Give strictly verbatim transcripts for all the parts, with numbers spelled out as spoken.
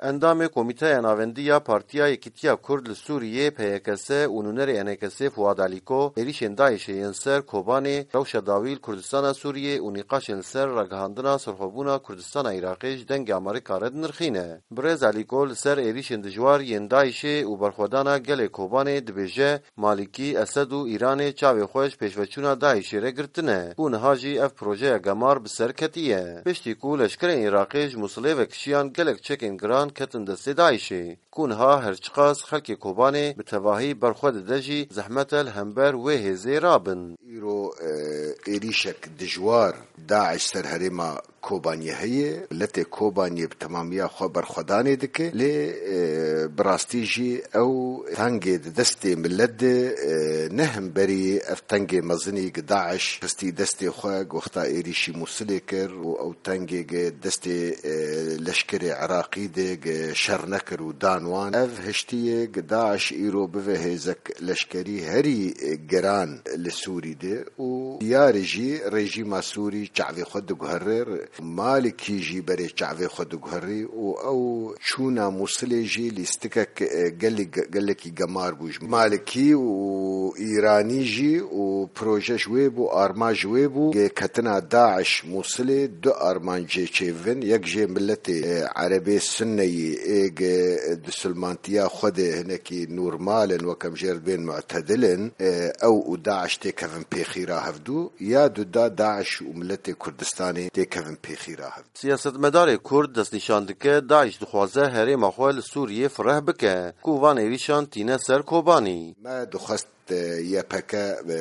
Endamê Komîteya Navendî ya Partiya Yekîtiya Kurd li Sûriyê, P Y K S, û nûnerê E N K S'ê Fuad Alîko êrîşên DAIŞ'ê yên ser Kobanê, rewşa dawî li Kurdistana Sûriyê û nîqaşên li ser ragihandina serxwebûna Kurdistana Iraqê ji Dengê Amerîka re dinirxîne. Birêz Alîko li ser êrîşên dijwar yên DAIŞ'ê û berxwedana gelê Kobanê dibêje, Malîkî, Esed û Îranê çavê xwe ji pêşveçûna DAIŞ'ê re girtine, ku niha jî ev projeya gemar bi ser ketiye. Piştî ku leşkerên Iraqê ji Mûsilê ve kişiyan, gelek çekên giran ketin destê DAIŞ'ê, ku niha her çiqas xelkê Kobanê bi tevahî berxwe dide jî, zehmet e li hember wê hêzê rabin. Îro, e, êrîşek dijwar DAIŞ ser herêma Kobaniyê heye. Miletê Kobaniyê bi temamiya xwe berxwedanê dike. Lê, e, bi rastî jî ew tengê di destê milet de, e, ne hemberî ev tengê mezinî gi DAIŞ xistî destê xwe, gi wexta êrîşî Mûsilê kir û ew tengê gi destê, e, leşkerê Iraqî de gi şer nekir û dan wan. Ev hiştiyê gi DAIŞ îro bive hêzek leşkerî herî, e, giran li Sûrî de û diyar e jî rejîma Sûrî çavê xwe diguhere, Malikî jî berê çavê xwe diguherî û ew çûna Mûsilê jî lîstikek, e, gelî-, gelekî gemar bû ji Malikî û Îranî jî û proje ji wê bû, armanc ji wê bû. Gê ketina DAIŞ Mûsilê du armancê çêvin, yek jê miletê, e, Erebê Sunneyî ê gi di sulmantiya xwe de hinekî normal in, wek em jê re dibên mu'tedil in, e, ew û DAIŞ têkevin pêxîra hevdû, ya du da DAIŞ û miletê Kurdistanê têkevin pêxîra hevdû. Siyasetmedarê Kurd destnîşan dike, DAIŞ dixwaze herêma xwe li Sûriyê fireh bike, ku van êrîşan tîne ser Kobanî. Me dixwest, e, Y P G, e,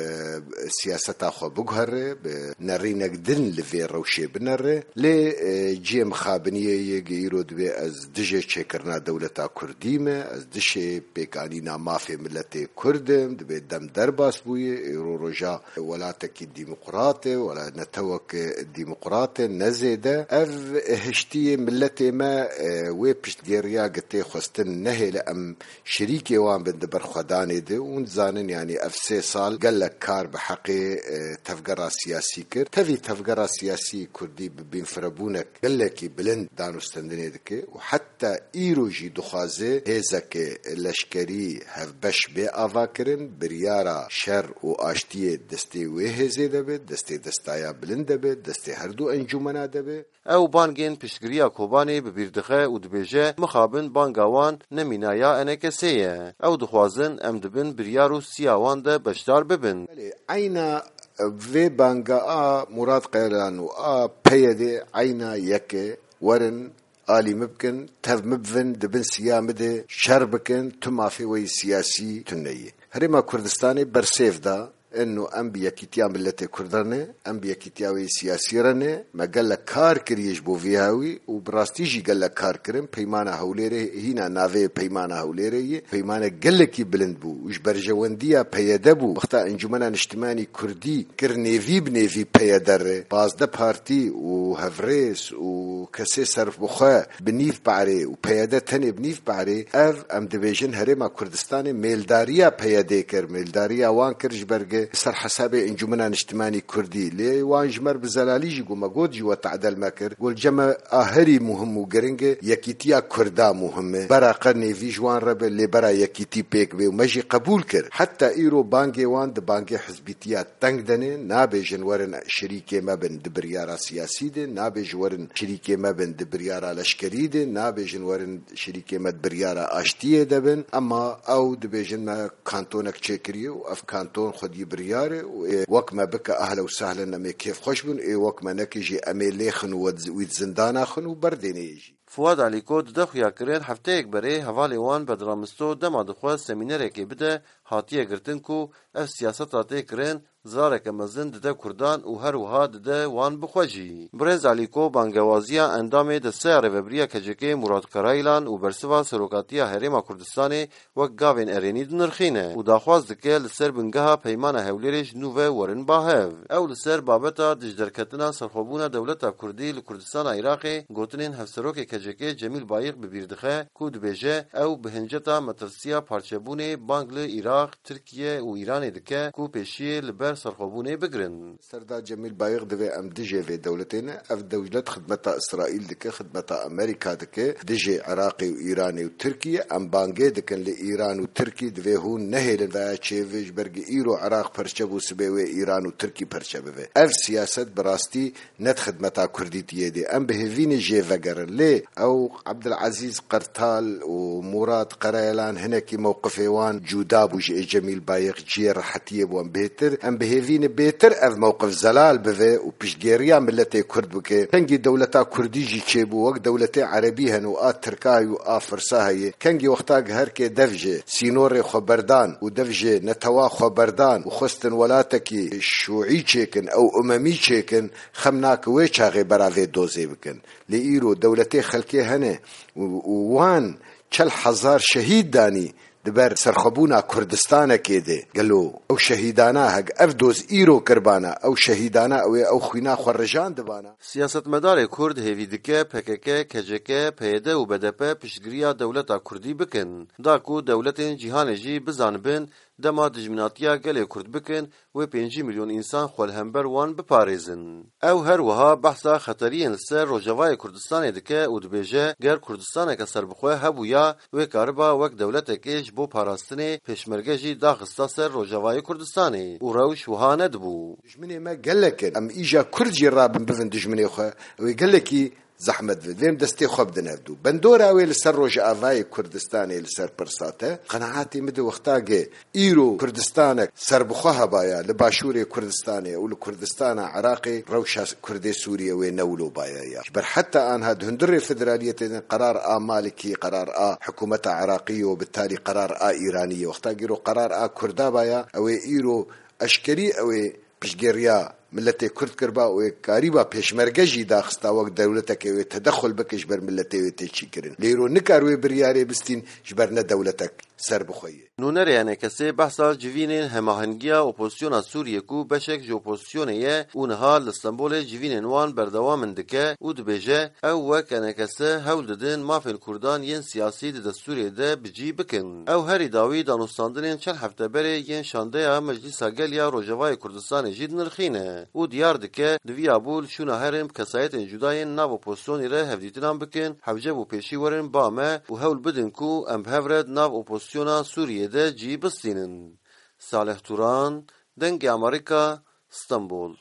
siyaseta xwe biguhere, bi nerînek din li vê rewşê binere. Lê, e, cihê mixabiniyê yê gi îro dibê ez dijê çêkirina dewleta Kurdî me, ez dijê pêkanîna mafê miletê Kurd im, dibê dem derbas bûye, îro roja welatekî demokrat e, wela netewek demokrat e, ne zêde. Ev hiştiyê miletê me, e, wê piştgêriya gi tê xwestin nehêle em şirîkê wan bin di berxwedanê de. Hûn dizanin, yanî ev sê sal gelek kar bi heqê, e, tevgera siyasî kir. Tevî tevgera siyasî Kurdî bi bînfirebûnek gelekî bilind dan û stendinê dike û heta îro jî dixwaze hêzeke leşkerî hevbeş bê avakirin, biryara şer û aştiyê destê wê hêzê de be, destê destaya bilind de be, destê her du encûmena de be. Ew bangên piştgiriya Kobanê bi bîr dixe û dibêje, mixabin banga wan ne mîna ya E N K S'ê ye. Ew dixwazin em di bin biryar û siya wan de beşdar bibin. Belê, eyna vê banga a Murat Qerelan û a P Y D eyna yek e. Werin alî min bikin, tev min bivin, di bin siya min de şer bikin, tu mafê we yî siyasî tune yî. Herêma Kurdistanê bersêv da, eno em bi yekîtiya miletê Kurdan e, em bi yekîtiya wê yî siyasî re ne. Me gelek kar kiriye ji bo vî hawî û bi rastî jî gelek kar kirin. Peymana Hewlêrê hîna navê Peymana Hewlêrê ye. Peymanek gelekî bilind bû û ji berjewendiya P Y D bû. Wexta Encûmena Niştimanî Kurdî kir nêvî bi nêvî P Y D re, pazdeh partî û hevrêz û kesê serbixwe bi nîv parê û P Y D tenê bi nîv parê, ev, em dibêjin, Herêma Kurdistanê mêldariya P Y D kir, mêldariya wan kir ji ber gi ser hesabê Encûmena Niştimanî Kurdî. Lê wan ji me re bi zelalî jî got, me got jî we tadel me kir. Got, li cem me a herî muhim û giring e, yekîtiya Kurda muhim e. Bera qe nêvî ji wan re be, lê bera yekîtî pêk bê û me jî qebûl kir. Heta îro bangê wan di bangê hizbîtiya teng de ne, nabêjin werin şirîkê me bin di biryara siyasî de, nabêjin werin şirîkê me bin di biryara leşkerî de, nabêjin werin şirîkê me di biryara aştiyê de bin. Ema ew dibêjin me kantonek çêkiriye û ev kanton xwedî biryar e û ê wek me bike, ehlen û sehlen, em ê kêfxweş bin, ê wek me neke jî em ê lêxin û wed-, wî di zindana xin û berdênê yê jî. Fuad Alîko dide xuyakirin, hefteyek berê hevalê wan Bedran Misto dema dixwest semînerekê bide, hatiye girtin ku ev siyaseta tê kirin, zirareke mezin dide Kurdan û her wiha dide wan bi xwe jî. Birêz Alîko bangewaziya endamê Desteya Rêvebiriya K C K'ê Murat Karaylan û bersiva serokatiya Herêma Kurdistanê wek gavên erênî dinirxîne û daxwaz dike li ser bingeha Peymana Hewlêrê ji nû ve werin ba hev. Ew li ser babeta dijderketina serxwebûna dewleta Kurdî li Kurdistana Iraqê gotinên hevserokê K C K Cemîl Bayîq bi bîr dixe ku dibêje ew bi hinceta metirsiya parçebûnê bang li Iraq, Tirkiye û Îranê dike ku pêşiyê li ber serxwebûnê bigirin. Serda Cemîl Bayîq divê em dijê vê dewletê ne. Ev dewlet xidmeta Îsraîl dike, xidmeta Amerîka dike, dijê Iraqê û Îranê û Tirkiye. Em bangê dikin li Îran û Tirkî divê hûn nehêlin veya çêvê ji ber ku îro Iraq perçe bû, sibê wê Îran û Tirkî perçe bibe. Ev siyaset bi rastî ne di xidmeta Kurdîtiyê de. Em bi hêvî ne jê vegerin. Lê ew Abdulazîz Qertal û Murad Qereyelan hinekî mewqifê wan cuda bû ji ê Cemîl Bayîq, cihê rehetiyê bû. Em bêtir, em bi hêvî ne bêtir ev mewqif zelal bive û piştgêriya miletê Kurd bike. Kengî dewleta Kurdî jî çêbû, wek dewletê Erebî hene û a Tirka heye û a Firsa heye. Kengî wexta giherkê dev ji sînorê xwe berdan û dev ji netewa xwe berdan û xwestin welatekî şûî çêkin, ew umemî çêkin, xem nake wê çaxê bera vê dozê bikin. Lê îro dewletê xelkê hene û, û wan çel hezar şehîd danî di ber serxwebûna Kurdistanekê de. Gelo ew şehîdana hek ev doz îro kirbana, ew şehîdana ew ê ew xwîna xwe rijandibana? Siyasetmedarê Kurd hêvî dike P K K, K C K, P Y D û B D P piştgiriya dewleta Kurdî bikin, da ku dewletên cîhanê jî bizanibin dema dijminatiya gelê Kurd bikin, wê pêncî milyon însan xwe li hember wan biparêzin. Ew her wiha behsa xeteriyên li ser Rojavayê Kurdistanê dike û dibêje, ger Kurdistaneke serbixwe hebûya, wê kariba wek dewletekê ji bo parastinê pêşmerge jî daxista ser Rojavayê Kurdistanê û rewş wiha nedibû. Dijminê me gelek in. Em îja Kurd jî rabin bivin dijminê xwe. Ew ê gelekî zehmet bidin. Vêm destê xwe bidin hevdû. Bendora wê li ser Rojavayê Kurdistanê li ser pirsa te. Qenaetê min di wexta ge îro Kurdistanek serbixwe hebaya li başûrê Kurdistanê û li Kurdistana Iraqê, rewşa Kurdê Sûriye wê ne wilo baya ya. Ji ber heta anha di hundirê federaliyetê de qerar a Malikî, qerar a hikûmeta Iraqî û bi talî qerar a Îranî ye. Wexta giro qerar a Kurda baya, ew ê îro eşkerî ew ê piştgiriya miletê Kurd kiriba û ê karîba pêşmerge jî daxista wek dewletekê wê tedexul bike ji ber miletê wê tê çîkirin. Lê îro nikar wê biryarê bistîn ji ber ne dewletek serbixwe ye. Nûnerê E N K S behsa civînên hemahengiya opozisyona Sûriyê ku beşek ji opozisyonê ye û niha li Stenbolê civînên wan berdewam in dike û dibêje, ew wek E N K S hewl didin mafên Kurdan yên siyasî di destûrê de bi cî bikin. Ew herî dawî danûstandinên çend hefte berê yên şandeya Meclîsa Gel ya Rojavayê Kurdistanê jî dinirxîne û diyar dike, di vî ya bû li şûna herin bi kesayetên cuda yên nav opozisyonê re hevdîtinan bikin, hewce bû pêşî werin ba me û hewl bidin ku em bi hev re di nav opozisyona Sûriyê de cî bistînin. Salih Turan, Dengê Amerîka, Stenbol.